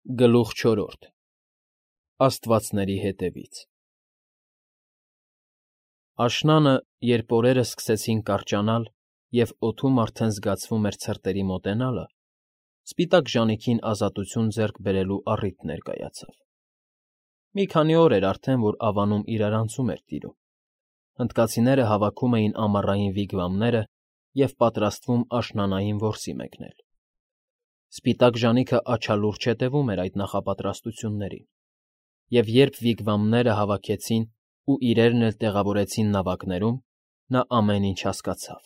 Գլուխ 4 Աստվածների հետևից Աշնանը, երբ օրերը սկսեցին կարճանալ և օդում արդեն զգացվում էր ցրտերի մոտենալը, սպիտակ ժանիքին ազատություն ձեռք բերելու առիթ ներկայացավ։ Մի քանի օր էր արդեն, որ Ավանում իրարանցում էր տիրում, հնդկացիները հավաքում էին ամառային վիգվամները և պատրաստվում աշնանային որսի մեկնել։ Սպիտակ ժանիքը աչալուրջ հետևում էր այդ նախապատրաստություններին, և երբ վիգվամները հավաքեցին ու իրերն էլ տեղավորեցին նավակներում, նա ամեն ինչ հասկացավ։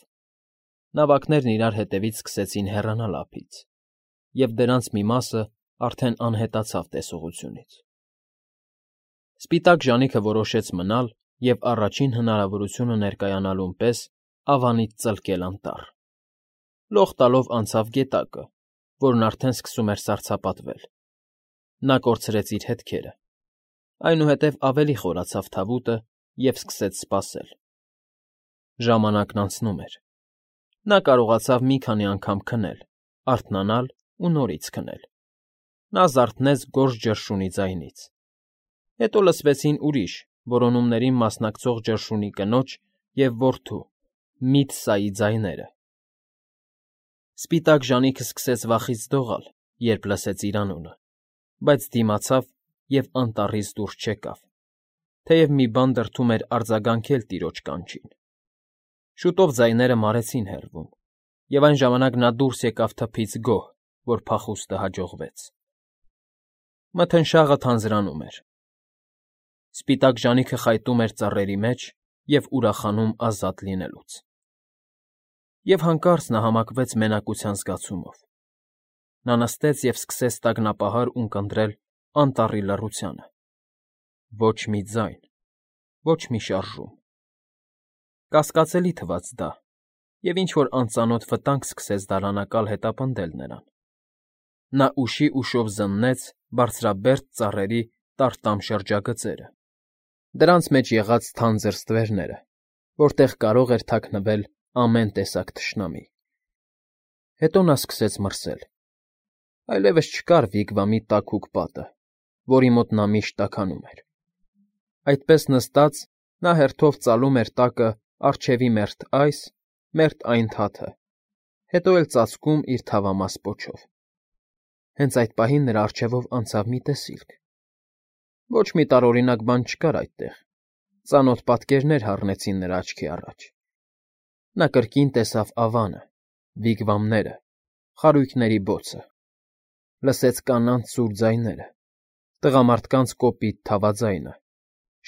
Նավակներն իրար հետևից սկսեցին հեռանալ ափից, և դրանց մի մասը արդեն անհետացավ տեսողությունից։ Սպիտակ ժանիքը որոշեց մնալ և առաջին հնարավորությունը ներկայանալուն պես Ավանից ծլկել անտառ։ Լող տալով անցավ գետակը, որն արդեն սկսում էր սառցապատվել։ Նա կորցրեց իր հետքերը, այնուհետև ավելի խորացավ թավուտը և սկսեց սպասել։ Ժամանակն անցնում էր։ Նա կարողացավ մի քանի անգամ քնել, արթնանալ ու նորից քնել։ Նա զարթնեց գորշ ջրշունի ձայնից։ Հետո լսվեցին ուրիշ, որոնումներին մասնակցող ջրշունի կնոջ և որդու՝ Միթսայի ձայները։ Սպիտակ ժանիքը սկսեց վախից դողալ, երբ լսեց իր անունը, բայց դիմացավ և անտառից դուրս չեկավ, թեև մի բան դրդում էր արձագանքել տիրոջ կանչին։ Շուտով ձայները մարեցին հեռվում, և այն ժամանակ նա դուրս եկավ թփից գոհ, որ փախուստը հաջողվեց։ Մթնշաղը թանձրանում էր։ Սպիտակ ժանիքը խայտում էր ծառերի մեջ և ուրախանում ազատ լինելուց։ Եվ հանկարծ նա համակվեց մենակության զգացումով։ Նա նստեց և սկսեց տագնապահար ունկնդրել անտառի լռությանը։ Ոչ մի ձայն, ոչ մի շարժում։ Կասկածելի թվաց դա, և ինչ֊որ անծանոթ վտանգ սկսեց դարանակալ հետապնդել նրան։ Նա ուշի֊ուշով զննեց բարձրաբերդ ծառերի տառտամ շրջագծերը, դրանց մեջ եղած թանձր ստվերները, որտեղ կարող էր թաքնվել ամեն տեսակ թշնամի։ Հետո նա սկսեց մրսել։ Այլևս չկար վիգվամի տաքուկ պատը, որի մոտ նա միշտ տաքանում էր։ Այդպես նստած՝ նա հերթով ծալում էր տակը առջևի մերթ այս, մերթ այն թաթը, հետո էլ ծածկում իր թավամաս պոչով։ Հենց այդ պահին նրա առջևով անցավ մի տեսիլք։ Ոչ մի տարօրինակ բան չկար այդտեղ, ծանոթ պատկերներ հառնեցին նրա աչքի առաջ։ Նա կրկին տեսավ Ավանը, վիգվամները, խարույկների բոցը։ Լսեց կանանց սուր ձայները, տղամարդկանց կոպիտ թավաձայնը,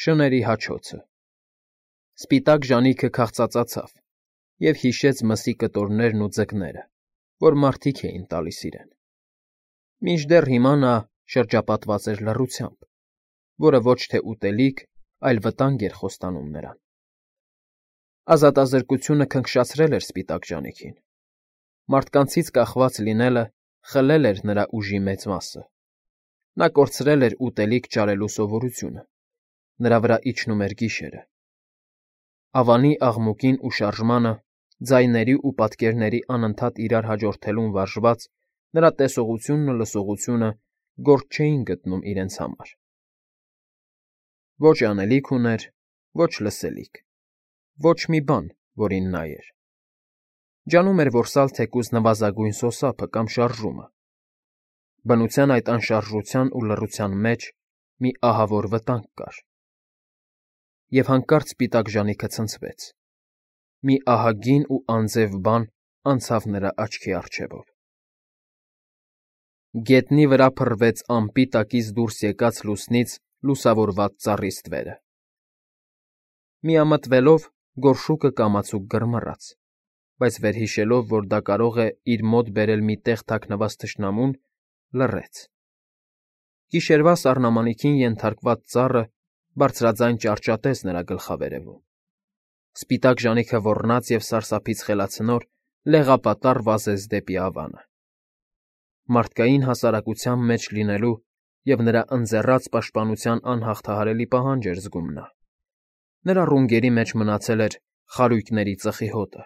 շների հաչոցը։ Սպիտակ ժանիքը քաղցածացավ և հիշեց մսի կտորներն ու ձկները, որ մարդիկ էին տալիս իրեն։ Մինչդեռ հիմա նա շրջապատված էր լռությամբ, որը ոչ թե ուտելիք, այլ վտանգ էր խոստանում նրան։ Ազատազրկությունը քնքշացրել էր սպիտակ ժանիքին։ Մարդկանցից կախված լինելը խլել էր նրա ուժի մեծ մասը։ Նա կորցրել էր ուտելիք ճարելու սովորությունը, նրա վրա իջնում էր գիշերը։ Ավանի աղմուկին ու շարժմանը, ձայների ու պատկերների անընդհատ իրար հաջորդելուն վարժված, նրա տեսողությունն ու լսողությունը գործ չէին գտնում իրենց համար։ Ոչ անելիք ուներ, ոչ լսելիք, ոչ մի բան, որին նայեր։ Ջանում էր որսալ թեկուզ նվազագույն սոսափը կամ շարժումը։ Բնության այդ անշարժության ու լռության մեջ մի ահավոր վտանգ կար։ Եվ հանկարծ սպիտակ ժանիքը ցնցվեց։ Մի ահագին ու անձև բան անցավ նրա աչքի առջևով։ Գետնի վրա փռվեց ամպի տակից դուրս եկած լուսնից լուսավորված ծառի ստվերը։ Միամտվելով՝ գորշուկը կամացուկ գրմռաց, բայց վերհիշելով, որ դա կարող է իր մոտ բերել մի տեղ թաքնված թշնամուն, լռեց։ Գիշերվա սառնամանիքին ենթարկված ծառը բարձրաձայն ճառճատեց նրա գլխավերևում։ Սպիտակ ժանիքը ոռնաց և սարսափից խելացնոր լեղապատառ վազեց դեպի Ավանը։ Մարդկային հասարակության մեջ լինելու և նրա ընձեռած պաշտպանության անհաղթահարելի պահանջ էր զգում նա։ Նրա ռունգերի մեջ մնացել էր խարույկների ծխի հոտը,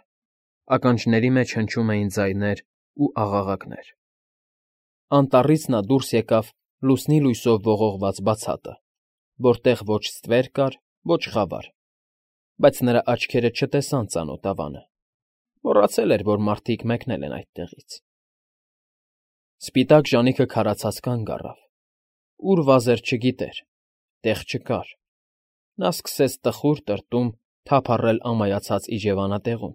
ականջների մեջ հնչում էին ձայներ ու աղաղակներ։ Անտառից նա դուրս եկավ Լուսնի լույսով ողողված բացատը, որտեղ ոչ ստվեր կար, ոչ խավար, բայց նրա աչքերը չտեսան ծանոթ ավանը, մոռացել էր, որ մարդիկ մեկնել են այդտեղից։ Սպիտակ ժանիքը քարացած կանգ առավ, ուր վազեր չգիտեր, տեղ չկար։ Նա սկսեց տխուր տրտում թափառել ամայացած իջևանատեղում,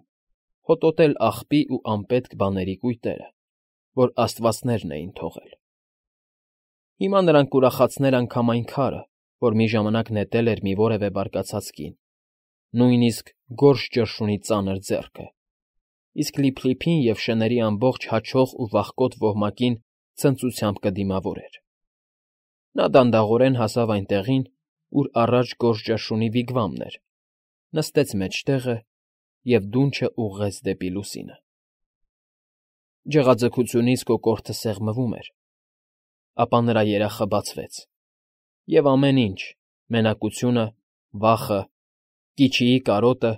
հոտոտել աղբի ու անպետք բաների կույտերը, որ աստվածներն էին թողել։ Հիմա նրան կուրախացներ անգամ այն քարը, որ մի ժամանակ նետել էր մի որևէ բարկացած կին, նույնիսկ գորշ ճրշունի ծանր ձեռքը, իսկ լիփլիփին և շների ամբողջ հաչող ու վախկոտ ոհմակին ցնծությամբ կդիմավորեր։ Նա դանդաղորեն հասավ այն տեղին, ուր առաջ գորշ ճրշունի վիգվամն էր, նստեց մեջտեղը և դունչը ուղղեց դեպի լուսինը։ Ջղաձգությունից կոկորդը սեղմվում էր, ապա նրա երախը բացվեց, և ամեն ինչ՝ մենակությունը, վախը, կիչիի կարոտը,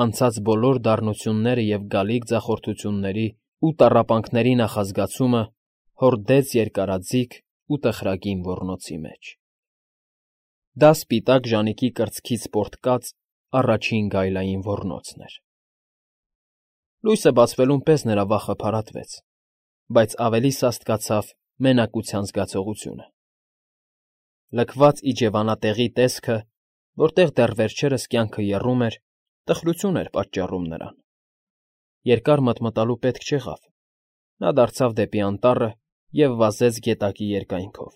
անցած բոլոր դառնությունները և գալիք ձախորդությունների ու տառապանքների նախազգացումը հորդեց երկարաձիգ ու տխրագին ոռնոցի մեջ։ Դա սպիտակ ժանիքի կրծքից պոռթկած առաջին գայլային ոռնոցն էր։ Լույսը բացվելուն պես նրա վախը փարատվեց, բայց ավելի սաստկացավ մենակության զգացողությունը։ Լքված իջևանատեղի տեսքը, որտեղ դեռ վերջերս կյանքը եռում էր, տխրություն էր պատճառում նրան։ Երկար մտմտալու պետք չեղավ։ Նա դարձավ դեպի անտառը և վազեց գետակի երկայնքով։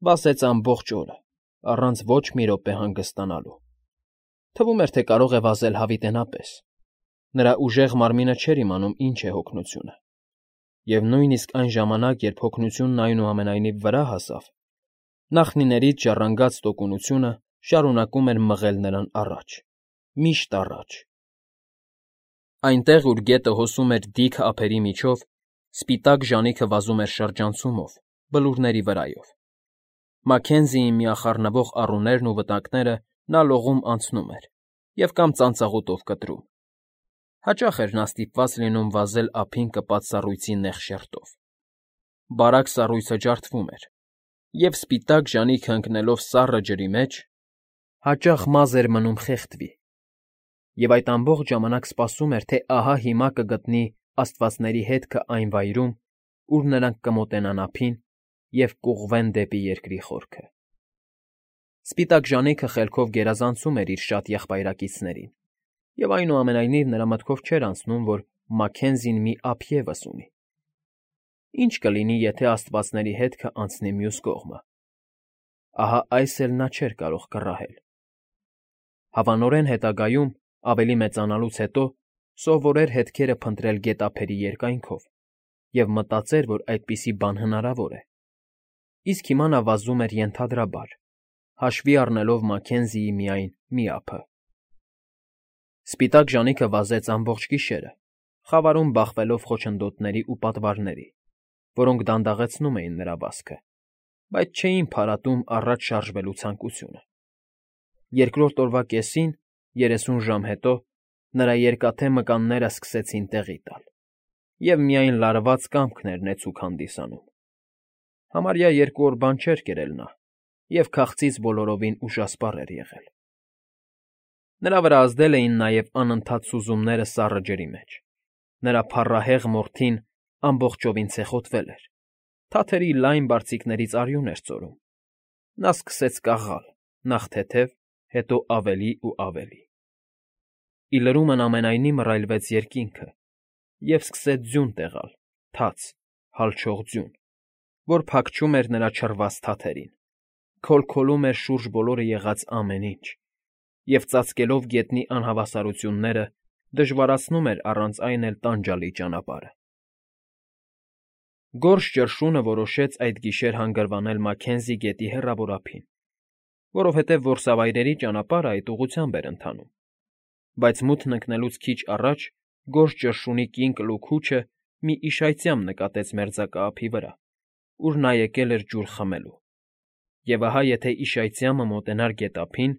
Վազեց ամբողջ օրը, առանց ոչ մի րոպե հանգստանալու։ Թվում էր, թե կարող է վազել հավիտենապես։ Նրա ուժեղ մարմինը չէր իմանում ինչ է հոգնությունը։ Եվ նույնիսկ այն ժամանակ, երբ հոգնությունն այնուամենայնիվ վրա հասավ, նախնիներից ժառանգած տոկունությունը շարունակում էր մղել նրան առաջ, միշտ առաջ։ Այնտեղ, ուր գետը հոսում էր դիք ափերի միջով, սպիտակ ժանիքը վազում էր շրջանցումով, բլուրների վրայով։ Մաքենզիի միախառնվող առուներն ու վտակները նա լողում անցնում էր և կամ ծանծաղուտով կտրում։ Հաճախ էր նա ստիպված լինում վազել ափին կպած սառույցի նեղ շերտով։ Բարակ սառույցը ջարդվում էր, և սպիտակ ժանիքը ընկնելով սառը ջրի մեջ, հաճախ մազ էր մնում խեղդվի, և այդ ամբողջ ժամանակ սպասում էր, թե ահա հիմա կգտնի աստվածների հետքը այն վայրում, ուր նրանք կմոտենան ափին և կուղղվեն դեպի երկրի խորքը։ Սպիտակ ժանիքը խելքով գերազանցում էր իր շատ եղբայրակիցներին, և այնուամենայնիվ նրա մտքով չէր անցնում, որ Մաքենզին մի ափ ևս ունի։ Ինչ կլինի, եթե աստվածների հետքը անցնի մյուս կողմը։ Ահա այս էլ նա չէր կարող կռահել։ Հավանորեն հետագայում, ավելի մեծանալուց հետո, սովորեր հետքերը փնտրել գետափերի երկայնքով և մտածեր, որ այդպիսի բան հնարավոր է։ Իսկ հիմա նա վազում էր ենթադրաբար, հաշվի առնելով Մաքենզիի միայն մի ափը։ Սպիտակ ժանիքը վազեց ամբողջ գիշերը, խավարում բախվելով խոչընդոտների ու պատվարների, որոնք դանդաղեցնում էին նրա վազքը, բայց չէին փարատում առաջ շարժվելու ցանկությունը։ Երկրորդ օրվա կեսին, 30 ժամ հետո, նրա երկաթե մկանները սկսեցին տեղի տալ, և միայն լարված կամքն էր նեցուկ հանդիսանում։ Համարյա 2 օր բան չէր կերել նա, և քաղցից բոլորովին ուշասպառ էր եղել։ Նրա վրա ազդել էին նաև անընդհատ սուզումները սառը ջրի մեջ։ Նրա փառահեղ մորթին ամբողջովին ցեխոտվել էր, թաթերի լայն բարձիկներից արյուն էր ծորում։ Նա սկսեց կաղալ, նախ թեթև, հետո ավելի ու ավելի։ Ի լրումն ամենայնի մռայլվեց երկինքը և սկսեց ձյուն տեղալ, թաց, հալչող ձյուն, որ փակչում էր նրա չռված թաթերին, քոլքոլում էր շուրջ բոլորը եղած ամեն ինչ և, ծածկելով գետնի անհավասարությունները, դժվարացնում էր առանց այն էլ տանջալի ճանապարհը։ Գորշ ճրշունը որոշեց այդ գիշեր հանգրվանել Մաքենզի գետի հեռավոր ափին, որովհետև որսավայրերի ճանապարհը այդ ուղղությամբ էր ընթանում, բայց մութն ընկնելուց քիչ առաջ գորշ ճրշունի կին կլուքուչը մի իշայծյամ նկատեց մերձակա ափի վրա, ուր նա եկել էր ջուր խմելու, և ահա եթե իշայծյամը մոտենար գետափին,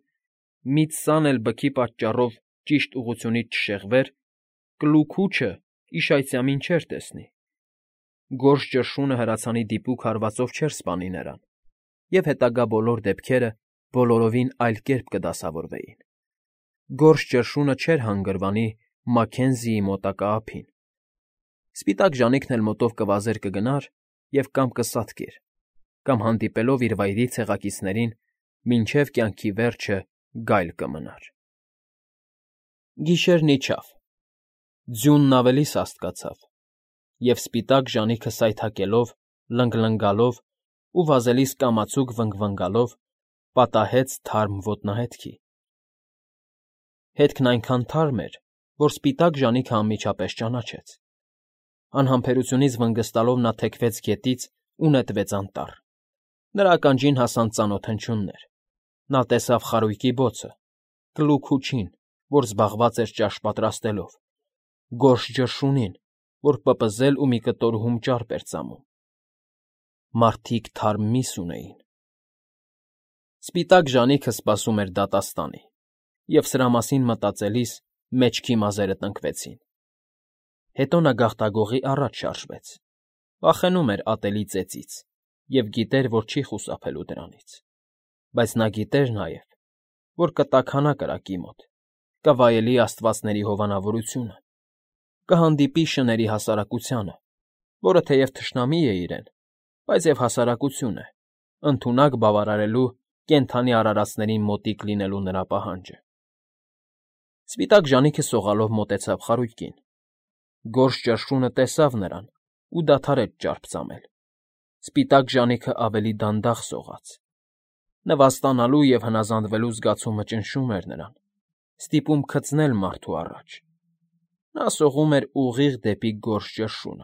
մի ձսան էլ բքի պատճառով ճիշտ ուղղությունից չշեղվեր, կլուքուչը իշայծյամին չէր տեսնի, գորշ ճռշունը հրացանի դիպուկ հարվածով չէր սպանի նրան, և հետագա բոլոր դեպքերը բոլորովին այլ կերպ կդասավորվեին։ Գորշ ճռշունը չէր հանգրվանի Մաքքենզիի մոտակա ափին։ Սպիտակ ժանիքն էլ մոտով կվազեր կգնար և կամ կսատկեր, կամ հանդիպելով իր վայրի ցեղակիցներին, մինչև կյանքի վերջը գայլ կմնար։ Գիշերն իջավ, ձյունն ավելի սաստկացավ, և սպիտակ ժանիքը սայթաքելով, լնգլնգալով ու վազելիս կամացուկ վնգվնգալով պատահեց թարմ ոտնահետքի։ Հետքն այնքան թարմ էր, որ սպիտակ ժանիքը անմիջապես ճանաչեց։ Անհամբերությունից վնգստալով նա թեքվեց գետից ու նետվեց անտառ։ Նրա ականջին հասան ծանոթ հնչյուններ։ Նա տեսավ խարույկի բոցը, կլուգ ու չին, որ զբաղված էր ճաշ պատրաստելով, գորշ ճռշունին, որ պպզել ու մի կտոր հում ճարպ էր ծամում։ Մարդիկ թարմ միս ունեին։ Սպիտակ ժանիքը սպասում էր դատաստանի, և սրա մասին մտածելիս մեջքի մազերը տնկվեցին։ Հետո նա գաղտագողի առաջ շարժվեց, վախենում էր ատելի ծեծից և գիտեր, որ չի խուսափելու դրանից։ Բայց նա գիտեր նաև, որ կտաքանա կրակի մոտ, կվայելի աստվածների հովանավորությունը, կհանդիպի շների հասարակությանը, որը թեև թշնամի է իրեն, բայց և հասարակություն է, ընդունակ բավարարելու կենդանի արարածներին մոտիկ լինելու նրա պահանջը։ Սպիտակ ժանիքը սողալով մոտեցավ խարույկին։ Գորշ ճռշունը տեսավ նրան ու դադարեց ճարպ ծամել։ Սպիտակ ժանիքը ավելի դանդաղ սողաց։ Նվաստանալու և հնազանդվելու զգացումը ճնշում էր նրան, ստիպում քծնել մարդու առաջ։ Նա սողում էր ուղիղ դեպի գորշ ճռշունը,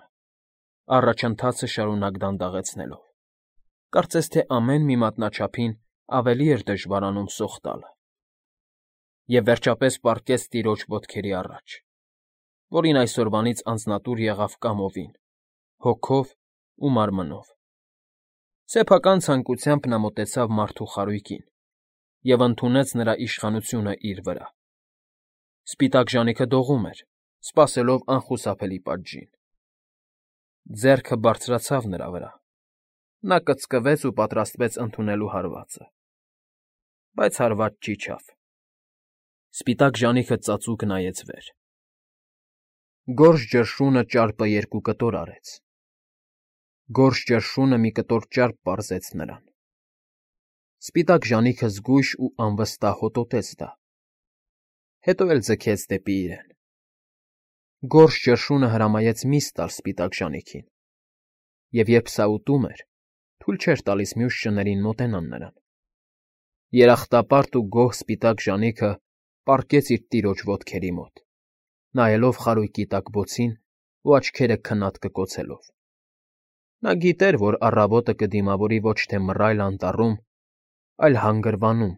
առաջընթացը շարունակ դանդաղեցնելով։ Կարծես թե ամեն մի մատնաչափին ավելի էր դժվարանում սող տալը։ Եվ վերջապես պառկեց տիրոջ ոտքերի առաջ, որին այսօրվանից անձնատուր եղավ կամովին, հոգով ու մարմնով։ Սեփական ցանկությամբ նա մոտեցավ մարդու խարույկին և ընդունեց նրա իշխանությունը իր վրա։ Սպիտակ ժանիքը դողում էր, սպասելով անխուսափելի պատժին։ Ձեռքը բարձրացավ նրա վրա։ Նա կծկվեց ու պատրաստվեց ընդունելու հարվածը։ Բայց հարված չիջավ։ Սպիտակ ժանիքը ծածուկ նայեց վեր։ Գորշ ճռշունը ճարպը երկու կտոր արեց։ Գորշ ճռշունը մի կտոր ճարպ պարզեց նրան։ Սպիտակ ժանիքը զգույշ ու անվստահ հոտոտեց դա։ Հետո էլ ձգեց դեպի իրեն։ Գորշ ճռշունը հրամայեց միս տալ սպիտակ ժանիքին, և երբ սա ուտում էր, թույլ չէր տալիս մյուս շներին մոտենան նրան։ Երախտապարտ ու գոհ սպիտակ ժանիքը պառկեց իր տիրոջ ոտքերի մոտ, նայելով խարույկի տակ բոցին ու աչքերը քնած կկոցելով։ Նա գիտեր, որ առավոտը կդիմավորի ոչ թե մռայլ անտառում, այլ հանգրվանում,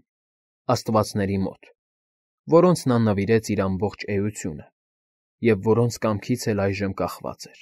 աստվածների մոտ, որոնց նա նվիրեց իր ամբողջ էությունը և որոնց կամքից էլ այժմ կախված էր։